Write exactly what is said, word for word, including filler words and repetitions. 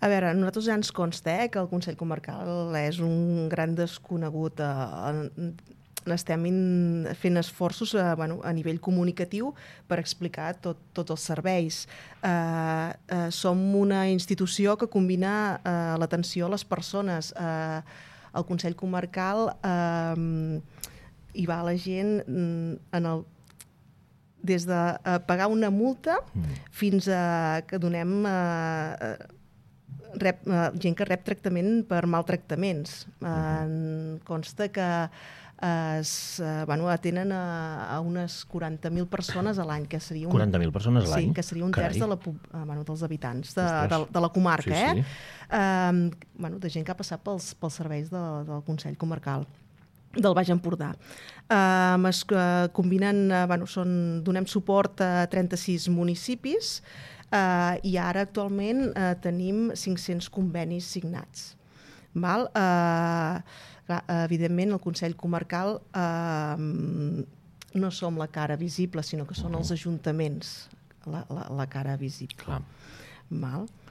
A veure, a nosaltres ja ens consta eh, que el Consell Comarcal és un gran desconegut. Eh, estem in, fent esforços eh, bueno, a nivell comunicatiu per explicar tot, tots els serveis. Eh, eh, som una institució que combina eh, l'atenció a les persones. Eh, el Consell Comarcal eh, hi va la gent en el des de uh, pagar una multa mm. fins a que donem uh, rep, uh, gent que rep tractament per maltractaments. Uh, consta que uh, es, uh, bueno, atenen a, a unes quaranta mil persones a l'any, que seria un, quaranta mil persones a l'any? Sí, que seria un terç de la, uh, bueno, dels habitants de, de, de la comarca, sí, eh? Sí. Uh, bueno, de gent que ha passat pels, pels serveis de, del Consell Comarcal del Baix Empordà. Uh, es uh, combinen, uh, bueno, són, donem suport a trenta-sis municipis uh, i ara actualment uh, tenim cinc-cents convenis signats. Val? Uh, clar, evidentment, el Consell Comarcal uh, no som la cara visible, sinó que són els ajuntaments la, la, la cara visible. Clar. Val?